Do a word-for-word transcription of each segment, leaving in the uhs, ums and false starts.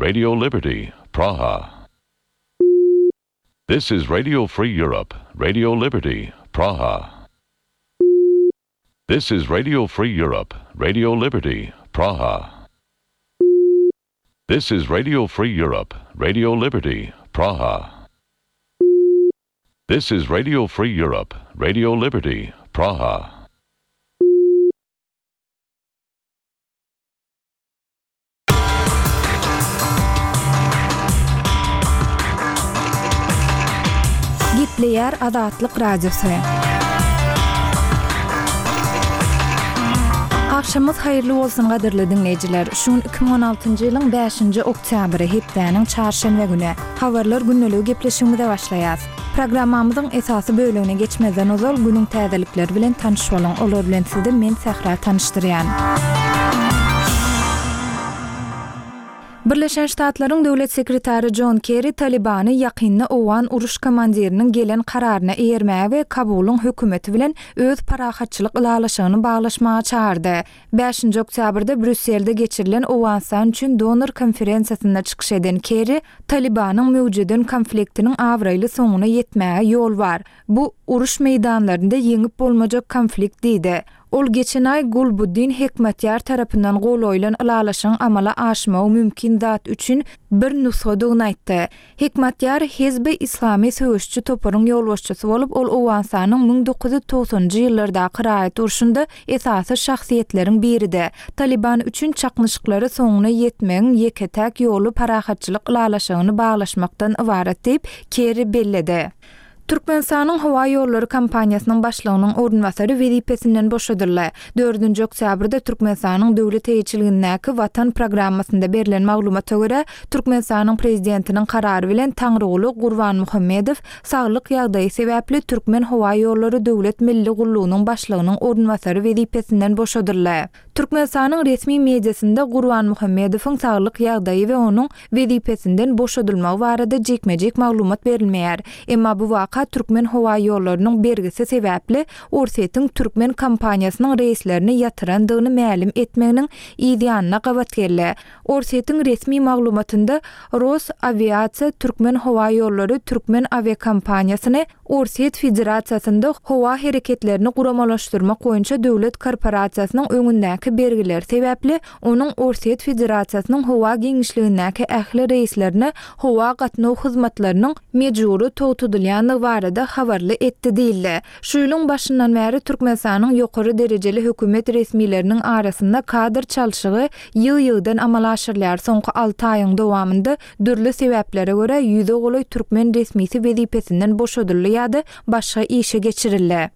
Radio Liberty, Praha. This is Radio Free Europe, Radio Liberty, Praha. This is Radio Free Europe, Radio Liberty, Praha. This is Radio Free Europe, Radio Liberty, Praha. This is Radio Free Europe, Radio Liberty, Praha. Gepleýär Azatlyk Radiosy. Agşamyňyz haýyrly bolsun gadyrly diňleýjiler. Şu gün iki müň on altynjy ýylyň bäşinji oktýabry hepdäniň çarşenbe güni. Habarlar gündeligi gepleşigimize başlaýas. Programmamyzyň esasy bölümine geçmezden ozal günüň täzelikleri bilen tanyş boluň. Olar bilen sizi men Sähra tanyşdyrýan. Birleşen Ştatlaryň Döwlet Sekretary John Kerry Talibany ýakynda Owgan uruş komandiriniň gelen kararyna eýermäge we Kabulyň hökümeti bilen öz parahatçylyk ylalaşygyny baglaşmaga çağırdy. Bäşinji oktýabrda Brýusselde geçirilen Owganystan üçin donor konferensiýasynda çykyş eden Kerry, Talibanyň möwjeden konfliktiniň abraýly soňuna ýetmäge ýol bar. Bu uruş meýdanlarynda ýeňip bolmajak konflikt diýdi. Ol geçen aý Gulbuddin Hekmatýar tarapyndan gol goýlan ylalaşygyň amala aşmagy mümkin zat üçin bir nusgadygyny aýtdy. Hekmatýar Hizbi Islami söweşçi toparyň ýolbaşçysy bolup, ol Owganystanyň müň dokuz ýüz togsanjy ýyllardaky raýat urşunda esasy şahsyýetleriň biridi. Taliban üçin çaknyşyklary soňuna ýetmegiň ýeke-täk ýoly parahatçylyk ylalaşygyny baglaşmakdan ybarat diýip Kerry belledi. Türkmenistanyň howa ýollary kompaniýasynyň başlygynyň orunbasary wezipesinden boşadyldy. Dördünji oktýabrda Türkmenistanyň döwlet eýeçiligindäki Watan programmasynda berlen maglumata görä, Türkmenistanyň prezidentiniň karary bilen Taňryguly Gurbanmuhammedow saglyk ýagdaýy sebäpli Türkmen howa ýollary döwlet milli gullugynyň başlygynyň orunbasary wezipesinden boşadyldy. Türkmenistanyň resmi mediasynda Gurbanmuhammedowyň saglyk ýagdaýy we onuň wezipesinden boşadylmagy barada jikme-jik maglumat berilmeýär. Emma bu waka Türkmen howa ýollarynyň bergisi sebäpli Orsýetiň Türkmen kompaniýasynyň reýslerini ýatyrandygyny mälim etmeginiň ýanyna gabat geldi. Orsýetiň resmi maglumatynda Rosaviatsiya Türkmen howa ýollary Türkmen awiakompaniýasyny Orsýet Federasiýasynda howa hereketlerini guramalaşdyrmak boýunça döwlet korporasiýasynyň öňündäki bergiler sebäpli onuň Orsýet Federasiýasynyň howa giňişligindäki ähli reýslerine howa gatnaw hyzmatlarynyň mejbury togtadylýandygy barada habarly etdi diýildi. Şu ýylyň başyndan bäri Türkmenistanyň ýokary derejeli hökümet resmileriniň arasynda kadr çalşygy ýyl-ýyldan amala aşyrylýar. Soňky alty aýyň dowamynda dürli sebäplere görä ýüze golaý türkmen resmisi wezipesinden boşadyldy ýa-da başga işe geçirildi.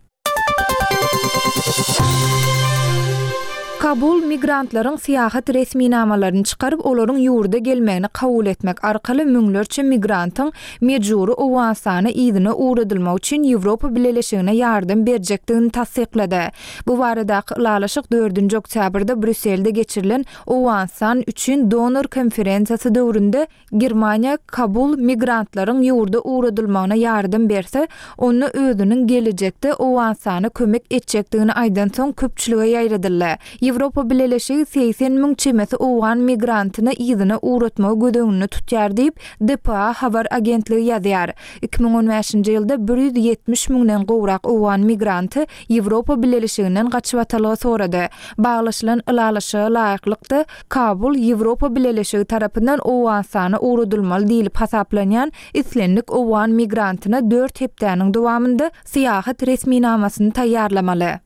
Kabul migrantlaryň syýahat resminamalaryny çykaryp, olaryň ýurda gelmegini kabul etmek arkaly müňlerçe migrantyň mejbury Owganystana yzyna ugradylmak üçin Ýewropa Bileleşigine ýardam berjekdigini tassyklady. Bu baradaky ylalaşyk dördünji oktýabrda Brýusselde geçirilen Owganystan üçin donor konferensiýasy döwründe Germaniýa Kabul migrantlaryň ýurda ugradylmagyna ýardam berse, onda özüniň gelejekde Owganystana kömek etjekdigini aýdan soň köpçülige ýaýradyldy. Ýewropa Bileleşigi seksen müň çemesi owgan migrantyny yzyna ugratmagy göz öňünde tutýar diýip, D P A habar agentligi ýazýar. iki müň on bäşinji ýylda bir ýüz ýetmiş müňden gowrak owgan migranty Ýewropa Bileleşiginden gaçybatalga sorady. Baglaşylan ylalaşyga laýyklykda Kabul Ýewropa Bileleşigi tarapyndan Owganystana ugradylmaly diýilip hasaplanýan islendik owgan migrantyna dört hepdäniň dowamynda syýahat resminamasyny taýýarlamaly.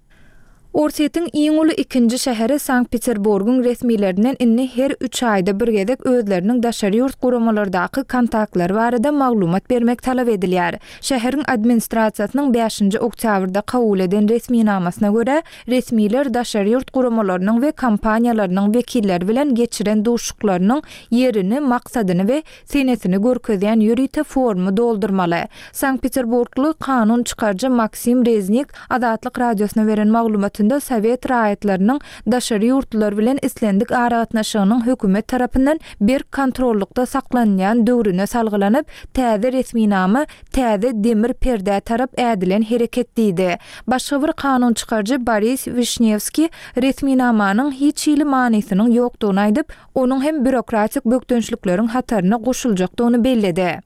Orsýetiň iň uly ikinji şäheri Sankt-Peterburgyň resmilerinden indi her üç aýda bir gezek özleriniň daşary ýurt guramalardaky kontaktlary barada maglumat bermek talap edilýär. Şäheriň administrasiýasynyň bäşinji oktýabrda kabul eden resminamasyna görä, resmiler daşary ýurt guramalarynyň we kompaniýalarynyň wekilleri bilen geçiren duşuklarynyň ýerini, maksadyny we senesini görkezýän ýörite formy doldurmaly. Sankt-Peterburgly kanun çykaryjy Maksim Reznik Azatlyk radiosyna beren maglumatynda dokumentinde sowet raýatlarynyň daşary ýurtlular bilen islendik aragatnaşygynyň hökümet tarapyndan berk kontrollykda saklanýan döwrüne salgylanyp, täze resminama täze demir perdä tarap ädilen hereket diýdi. Başga bir kanun çykaryjy Boris Wişnewskiý resminamanyň hiç hili manysynyň ýokdugyny aýdyp, onuň hem býurokratik bökdençlikleriň hataryna goşuljakdygyny belledi.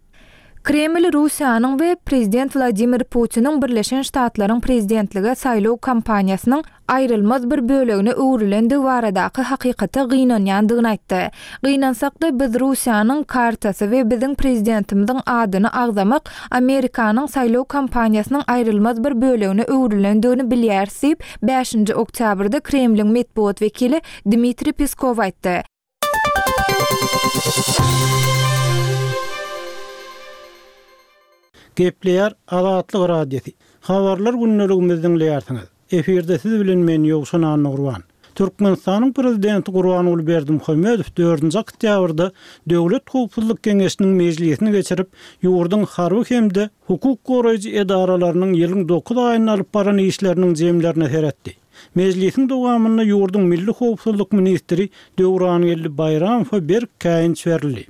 Kreml Russiýanyň we prezident Wladimir Putiniň Birleşen Ştatlaryň prezidentlige saýlaw kampaniýasynyň aýrylmaz bir bölegine öwrülendigi baradaky hakykata gynanýandygyny aýtdy. Gynansak-da, biz Russiýanyň kartasy we biziň prezidentimiziň adyny agzamak Amerikanyň saýlaw kampaniýasynyň aýrylmaz bir bölegine öwrülendigini bilýäris diýip, bäşinji oktýabrda Kremliň metbugat wekili Dmitriý Peskow aýtdy. Gepleýär Azatlyk Radiosy. Habarlar gündeligimizi diňleýärsiňiz. Efirde siz bilen men Ýowşan Annagurban. Türkmenistanyň Prezidenti Gurbanguly Berdimuhamedow dördünji oktýabrda Döwlet howpsuzlyk geňeşiniň mejlisini geçirip, ýurduň harby hem-de hukuk goraýjy edaralarynyň ýylyň dokuz aýynda alyp baran işleriniň jemlerine seretdi. Mejlisiň dowamynda ýurduň Milli howpsuzlyk ministri Döwrangeldi Baýramowa berk käýinç berildi.